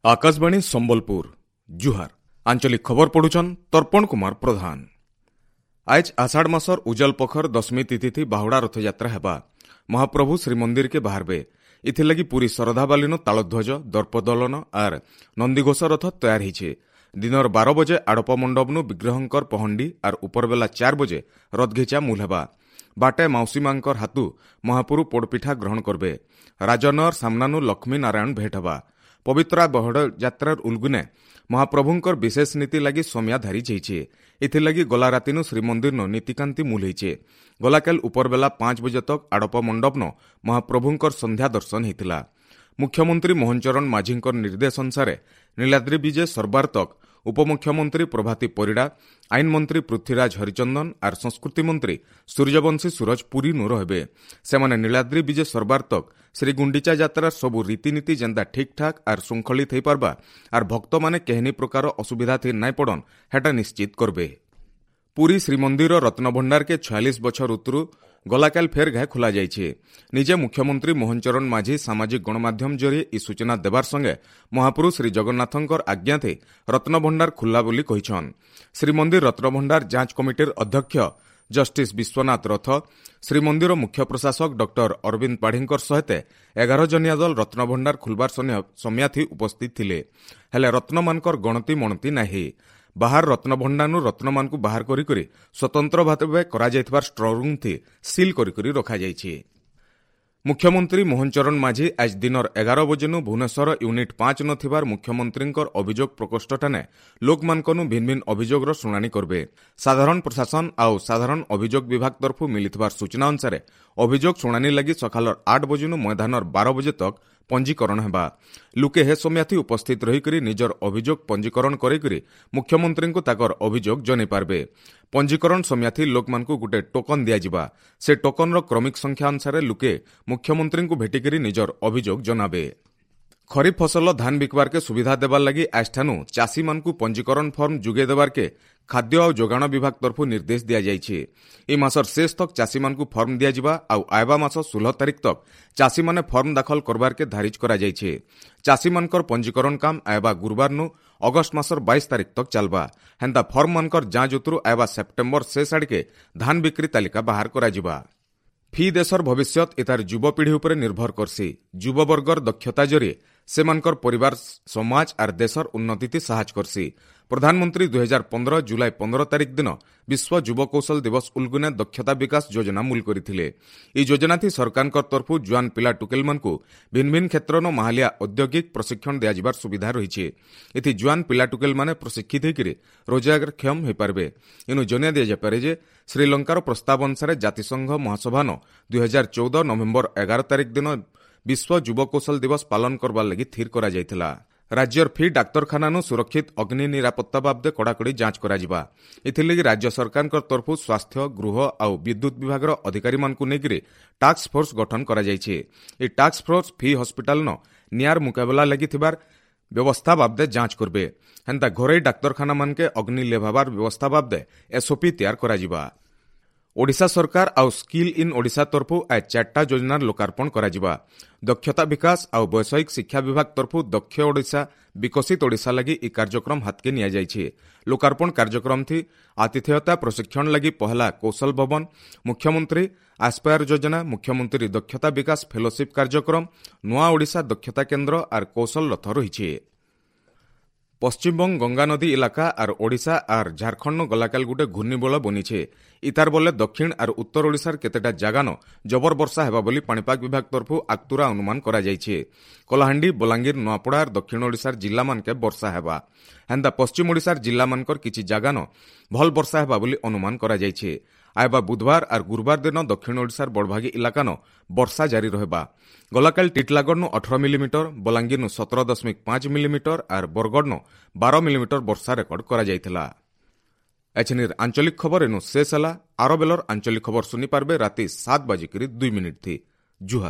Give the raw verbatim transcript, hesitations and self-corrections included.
ଆକାଶବାଣୀ ସମ୍ବଲପୁର ଜୁହାର ଆଞ୍ଚଳିକ ଖବର ପଢୁଛନ୍ ତର୍ପଣ କୁମାର ପ୍ରଧାନ ଆଏଜ୍ ଆଷାଢ଼ ମାସର ଉଜଲ ପଖର ଦଶମୀ ତିଥି ବାହୁଡ଼ା ରଥଯାତ୍ରା ହେବା ମହାପ୍ରଭୁ ଶ୍ରୀମନ୍ଦିରକେ ବାହାରବେ ଏଥିଲାଗି ପୁରୀ ଶରଧାବାଲିନୁ ତାଳଧ୍ୱଜ ଦର୍ପଦଳନ ଆର୍ ନନ୍ଦିଘୋଷ ରଥ ତୟାର ହେଇଛେ ଦିନର ବାର ବଜେ ଆଡ଼ପ ମଣ୍ଡପନୁ ବିଗ୍ରହଙ୍କର ପହଣ୍ଡି ଆର୍ ଉପରବେଲା ଚାର୍ ବଜେ ରଥଘିଚା ମୂଲ ହେବା ବାଟେ ମାଉସୀ ମାଙ୍କର ହାତୁ ମହାପୁରୁ ପୋଡ଼ପିଠା ଗ୍ରହଣ କରବେ ରାଜନଅର ସାମ୍ନାନୁ ଲକ୍ଷ୍ମୀ ନାରାୟଣ ଭେଟ ହେବା ପବିତ୍ରା ବହଡ଼ ଯାତ୍ରାର ଉଲଗୁନେ ମହାପ୍ରଭୁଙ୍କର ବିଶେଷ ନୀତି ଲାଗି ସମିଆ ଧାରି ଯାଇଛେ ଏଥିଲାଗି ଗଲା ରାତିନୁ ଶ୍ରୀମନ୍ଦିରନୁ ନୀତିକାନ୍ତି ମୂଲ ହେଇଛେ ଗଲାକାଲ ଉପରବେଲା ପାଞ୍ଚ ବଜେ ତକ୍ ଆଡ଼ପ ମଣ୍ଡପନ ମହାପ୍ରଭୁଙ୍କର ସନ୍ଧ୍ୟା ଦର୍ଶନ ହେଇଥିଲା ମୁଖ୍ୟମନ୍ତ୍ରୀ ମୋହନ ଚରଣ ମାଝୀଙ୍କର ନିର୍ଦ୍ଦେଶ ଅନୁସାରେ ନୀଳାଦ୍ରି ବିଜେ ସରବାର ତକ୍ ଉପମୁଖ୍ୟମନ୍ତ୍ରୀ ପ୍ରଭାତୀ ପରିଡ଼ା ଆଇନ ମନ୍ତ୍ରୀ ପୃଥ୍ୱୀରାଜ ହରିଚନ୍ଦନ ଆର୍ ସଂସ୍କୃତି ମନ୍ତ୍ରୀ ସୂର୍ଯ୍ୟବଂଶୀ ସୁରଜ ପୁରୀନୁ ରହିବେ ସେମାନେ ନୀଳାଦ୍ରି ବିଜେ ସରବାର ତକ୍ ଶ୍ରୀଗୁଣ୍ଡିଚା ଯାତ୍ରାର ସବୁ ରୀତିନୀତି ଯେନ୍ତା ଠିକ୍ଠାକ୍ ଆର୍ ଶୃଙ୍ଖଳିତ ହେଇପାରବା ଆର୍ ଭକ୍ତମାନେ କେହେନି ପ୍ରକାର ଅସୁବିଧା ଥି ନାଇଁ ପଡ଼ନ୍ ହେଟା ନିଶ୍ଚିତ କରବେ ପୁରୀ ଶ୍ରୀମନ୍ଦିର ରତ୍ନଭଣ୍ଡାରକେ ଛୟାଳିଶ ବଛର ଉତରୁ ଗଲାକାଲ ଫେର୍ ଘାଏ ଖୋଲା ଯାଇଛେ ନିଜେ ମୁଖ୍ୟମନ୍ତ୍ରୀ ମୋହନ ଚରଣ ମାଝୀ ସାମାଜିକ ଗଣମାଧ୍ୟମ ଜରିଏ ଇ ସୂଚନା ଦେବାର ସଙ୍ଗେ ମହାପ୍ରଭୁ ଶ୍ରୀ ଜଗନ୍ନାଥଙ୍କର ଆଜ୍ଞାଥେ ରତ୍ନଭଣ୍ଡାର ଖୁଲ୍ଲା ବୋଲି କହିଛନ୍ ଶ୍ରୀମନ୍ଦିର ରତ୍ନଭଣ୍ଡାର ଯାଞ୍ଚ କମିଟିର ଅଧ୍ୟକ୍ଷ ଜଷ୍ଟିସ୍ ବିଶ୍ୱନାଥ ରଥ ଶ୍ରୀମନ୍ଦିର ମୁଖ୍ୟ ପ୍ରଶାସକ ଡକ୍ଟର ଅରବିନ୍ଦ ପାଢ଼ୀଙ୍କର ସହିତ ଏଗାର ଜନିଆ ଦଳ ରତ୍ନଭଣ୍ଡାର ଖୁଲବାର ସମୟାଥି ଉପସ୍ଥିତ ଥିଲେ ହେଲେ ରତ୍ନମାନଙ୍କର ଗଣତି ମଣତି ନାହିଁ ବାହାର ରତ୍ନଭଣ୍ଡାରନୁ ରତ୍ନମାନଙ୍କୁ ବାହାର କରି କରି ସ୍ୱତନ୍ତ୍ର ଭାବେ କରାଯାଇଥିବା ଷ୍ଟ୍ରଙ୍ଗରୁମ୍ଥି ସିଲ୍ କରି କରି ରଖାଯାଇଛି ମୁଖ୍ୟମନ୍ତ୍ରୀ ମୋହନ ଚରଣ ମାଝୀ ଆଜ ଦିନର ଏଗାର ବଜେନୁ ଭୁବନେଶ୍ୱର ୟୁନିଟ୍ ପାଞ୍ଚ ନ ଥିବାର ମୁଖ୍ୟମନ୍ତ୍ରୀଙ୍କର ଅଭିଯୋଗ ପ୍ରକୋଷ୍ଠଠାନେ ଲୋକମାନଙ୍କନୁ ଭିନ୍ନ ଭିନ୍ନ ଅଭିଯୋଗର ଶୁଣାଣି କରବେ ସାଧାରଣ ପ୍ରଶାସନ ଆଉ ସାଧାରଣ ଅଭିଯୋଗ ବିଭାଗ ତରଫରୁ ମିଳିଥିବାର ସୂଚନା ଅନୁସାରେ ଅଭିଯୋଗ ଶୁଣାଣି ଲାଗି ସକାଳର ଆଠ ବଜେନୁ ମଇଦାନର ବାର ବଜେ ତକ୍ ପଞ୍ଜୀକରଣ ହେବା ଲୁକେ ହେ ସମୟାଥି ଉପସ୍ଥିତ ରହିକରି ନିଜର ଅଭିଯୋଗ ପଞ୍ଜୀକରଣ କରିକରି ମୁଖ୍ୟମନ୍ତ୍ରୀଙ୍କୁ ତାକର ଅଭିଯୋଗ ଜଣାଇ ପାରବେ ପଞ୍ଜୀକରଣ ସମୟାଥି ଲୋକମାନଙ୍କୁ ଗୋଟେ ଟୋକନ ଦିଆଯିବା ସେ ଟୋକନର କ୍ରମିକ ସଂଖ୍ୟା ଅନୁସାରେ ଲୁକେ ମୁଖ୍ୟମନ୍ତ୍ରୀଙ୍କୁ ଭେଟିକରି ନିଜର ଅଭିଯୋଗ ଜଣାବେ ଖରିଫ ଫସଲ ଧାନ ବିକବାରକେ ସୁବିଧା ଦେବାର ଲାଗି ଆଜଠାନୁ ଚାଷୀମାନଙ୍କୁ ପଞ୍ଜୀକରଣ ଫର୍ମ ଯୋଗାଇ ଦେବାରକେ ଖାଦ୍ୟ ଆଉ ଯୋଗାଣ ବିଭାଗ ତରଫରୁ ନିର୍ଦ୍ଦେଶ ଦିଆଯାଇଛି ଏ ମାସର ଶେଷ ତକ୍ ଚାଷୀମାନଙ୍କୁ ଫର୍ମ ଦିଆଯିବା ଆଉ ଆଇବା ମାସ ଷୋହଳ ତାରିଖ ତକ୍ ଚାଷୀମାନେ ଫର୍ମ ଦାଖଲ କରବାରକେ ଧାରିଜ କରାଯାଇଛି ଚାଷୀମାନଙ୍କର ପଞ୍ଜୀକରଣ କାମ ଆଇବା ଗୁରୁବାରନୁ ଅଗଷ୍ଟ ମାସର ବାଇଶ ତାରିଖ ତକ୍ ଚାଲବା ହେନ୍ତା ଫର୍ମମାନଙ୍କର ଯାଞ୍ଚ ଉତରୁ ଆଇବା ସେପ୍ଟେମ୍ବର ଶେଷ ଆଡ଼କେ ଧାନ ବିକ୍ରି ତାଲିକା ବାହାର କରାଯିବା ଫି ଦେଶର ଭବିଷ୍ୟତ ଏତାର ଯୁବପିଢ଼ି ଉପରେ ନିର୍ଭର କରସି ଯୁବବର୍ଗର ଦକ୍ଷତା ଜରିଏ ସେମାନଙ୍କର ପରିବାର ସମାଜ ଆର୍ ଦେଶର ଉନ୍ନତିଥି ସାହାଯ୍ୟ କରସି ପ୍ରଧାନମନ୍ତ୍ରୀ ଦୁଇ ହଜାର ପନ୍ଦର ଜୁଲାଇ ପନ୍ଦର ତାରିଖ ଦିନ ବିଶ୍ୱ ଯୁବ କୌଶଳ ଦିବସ ଉଲଗୁନେ ଦକ୍ଷତା ବିକାଶ ଯୋଜନା ମୂଲ କରିଥିଲେ ଏହି ଯୋଜନାଥି ସରକାରଙ୍କ ତରଫରୁ ଜୁଆନ ପିଲା ଟୁକେଲମାନଙ୍କୁ ଭିନ୍ନ ଭିନ୍ନ କ୍ଷେତ୍ରନ ମାହାଲିଆ ଔଦ୍ୟୋଗିକ ପ୍ରଶିକ୍ଷଣ ଦିଆଯିବାର ସୁବିଧା ରହିଛି ଏଥି ଜୁଆନ ପିଲା ଟୁକେଲମାନେ ପ୍ରଶିକ୍ଷିତ ହୋଇକରି ରୋଜଗାରକ୍ଷମ ହୋଇପାରିବେ ଏନୁ ଜଣାଇ ଦିଆଯାଇପାରେ ଯେ ଶ୍ରୀଲଙ୍କାର ପ୍ରସ୍ତାବ ଅନୁସାରେ ଜାତିସଂଘ ମହାସଭାନ ଦୁଇ ହଜାର ଚଉଦ ନଭେମ୍ବର ଏଗାର ତାରିଖ ଦିନ ବିଶ୍ୱ ଯୁବ କୌଶଳ ଦିବସ ପାଳନ କରବାର ଲାଗି ସ୍ଥିର କରାଯାଇଥିଲା ରାଜ୍ୟର ଫି ଡାକ୍ତରଖାନାନୁ ସୁରକ୍ଷିତ ଅଗ୍ନି ନିରାପତ୍ତା ବାବଦେ କଡ଼ାକଡ଼ି ଯାଞ୍ଚ କରାଯିବା ଏଥିଲାଗି ରାଜ୍ୟ ସରକାରଙ୍କ ତରଫରୁ ସ୍ୱାସ୍ଥ୍ୟ ଗୃହ ଆଉ ବିଦ୍ୟୁତ୍ ବିଭାଗର ଅଧିକାରୀମାନଙ୍କୁ ନେଇକରି ଟାସ୍କ ଫୋର୍ସ ଗଠନ କରାଯାଇଛି ଏହି ଟାସ୍କ ଫୋର୍ସ ଫି ହସ୍ପିଟାଲନ ନିଆର ମୁକାବିଲା ଲାଗି ଥିବାର ବ୍ୟବସ୍ଥା ବାବଦେ ଯାଞ୍ଚ କରବେ ହେନ୍ତା ଘରୋଇ ଡାକ୍ତରଖାନାମାନକେ ଅଗ୍ନି ଲେଭାବାର ବ୍ୟବସ୍ଥା ବାବଦେ ଏସ୍ଓପି ତିଆର କରାଯିବା ଓଡ଼ିଶା ସରକାର ଆଉ ସ୍କିଲ୍ ଇନ୍ ଓଡ଼ିଶା ତରଫରୁ ଆଜ ଚାରିଟା ଯୋଜନାର ଲୋକାର୍ପଣ କରାଯିବା ଦକ୍ଷତା ବିକାଶ ଆଉ ବୈଷୟିକ ଶିକ୍ଷା ବିଭାଗ ତରଫରୁ ଦକ୍ଷ ଓଡ଼ିଶା ବିକଶିତ ଓଡ଼ିଶା ଲାଗି ଏହି କାର୍ଯ୍ୟକ୍ରମ ହାତକେ ନିଆଯାଇଛି ଲୋକାର୍ପଣ କାର୍ଯ୍ୟକ୍ରମ ଥି ଆତିଥେୟତା ପ୍ରଶିକ୍ଷଣ ଲାଗି ପହଲା କୌଶଳ ଭବନ ମୁଖ୍ୟମନ୍ତ୍ରୀ ଆସ୍ପାୟାର ଯୋଜନା ମୁଖ୍ୟମନ୍ତ୍ରୀ ଦକ୍ଷତା ବିକାଶ ଫେଲୋସିପ୍ କାର୍ଯ୍ୟକ୍ରମ ନୂଆ ଓଡ଼ିଶା ଦକ୍ଷତା କେନ୍ଦ୍ର ଆର୍ କୌଶଳ ରଥ ରହିଛି ପଶ୍ଚିମବଙ୍ଗ ଗଙ୍ଗାନଦୀ ଇଲାକା ଆର୍ ଓଡ଼ିଶା ଆର୍ ଝାଡ଼ଖଣ୍ଡ ଗଲାକାଲ ଗୁଟେ ଘୂର୍ଣ୍ଣିବଳ ବନିଛେ ଇତାର ବଲେ ଦକ୍ଷିଣ ଆର୍ ଉତ୍ତର ଓଡ଼ିଶାର କେତେଟା ଜାଗାନ ଜବର ବର୍ଷା ହେବା ବୋଲି ପାଣିପାଗ ବିଭାଗ ତରଫରୁ ଆଗତୁରା ଅନୁମାନ କରାଯାଇଛି କଳାହାଣ୍ଡି ବଲାଙ୍ଗୀର ନୂଆପଡ଼ା ଆର୍ ଦକ୍ଷିଣ ଓଡ଼ିଶାର ଜିଲ୍ଲାମାନକେ ବର୍ଷା ହେବା ହେନ୍ତା ପଶ୍ଚିମ ଓଡ଼ିଶାର ଜିଲ୍ଲାମାନଙ୍କର କିଛି ଜାଗାନ ଭଲ ବର୍ଷା ହେବା ବୋଲି ଅନୁମାନ କରାଯାଇଛି ଆଇବା ବୁଧବାର ଆର୍ ଗୁରୁବାର ଦିନ ଦକ୍ଷିଣ ଓଡ଼ିଶାର ବଡ଼ଭାଗୀ ଇଲାକାନ ବର୍ଷା ଜାରି ରହିବା ଗଲାକାଲି ଟିଟଲାଗଡ଼ନୁ ଅଠର ମିଲିମିଟର ବଲାଙ୍ଗୀରନୁ ସତର ଦଶମିକ ପାଞ୍ଚ ମିଲିମିଟର ଆର୍ ବରଗଡ଼ନୁ ବାର ମିଲିମିଟର ବର୍ଷା ରେକର୍ଡ କରାଯାଇଥିଲା ଏଛିନିର ଆଞ୍ଚଳିକ ଖବର ଏନୁ ଶେଷ ହେଲା ଆର ବେଲର ଆଞ୍ଚଳିକ ଖବର ଶୁଣିପାରବେ ରାତି ସାତ ବାଜିକରି ଦୁଇ ମିନିଟ୍ ଥି ଜୁହାର